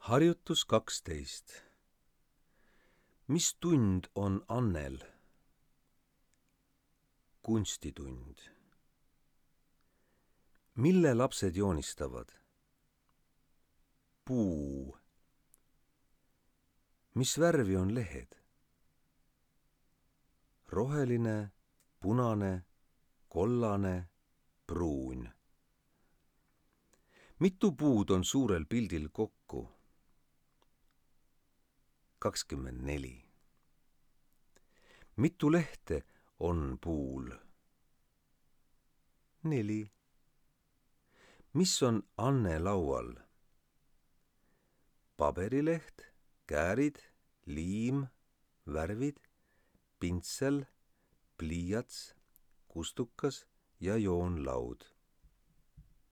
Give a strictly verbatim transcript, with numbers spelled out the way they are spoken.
Harjutus kaksteist. Mis tund on Annel? Kunstitund. Mille lapsed joonistavad? Puu. Mis värvi on lehed? Roheline, punane, kollane, pruun. Mitu puud on suurel pildil kokku? kakskümmend neli. Mitu lehte on puul? Neli. Mis on Anne laual? Paberileht, käärid, liim, värvid, pintsel, pliiats, kustukas ja joonlaud.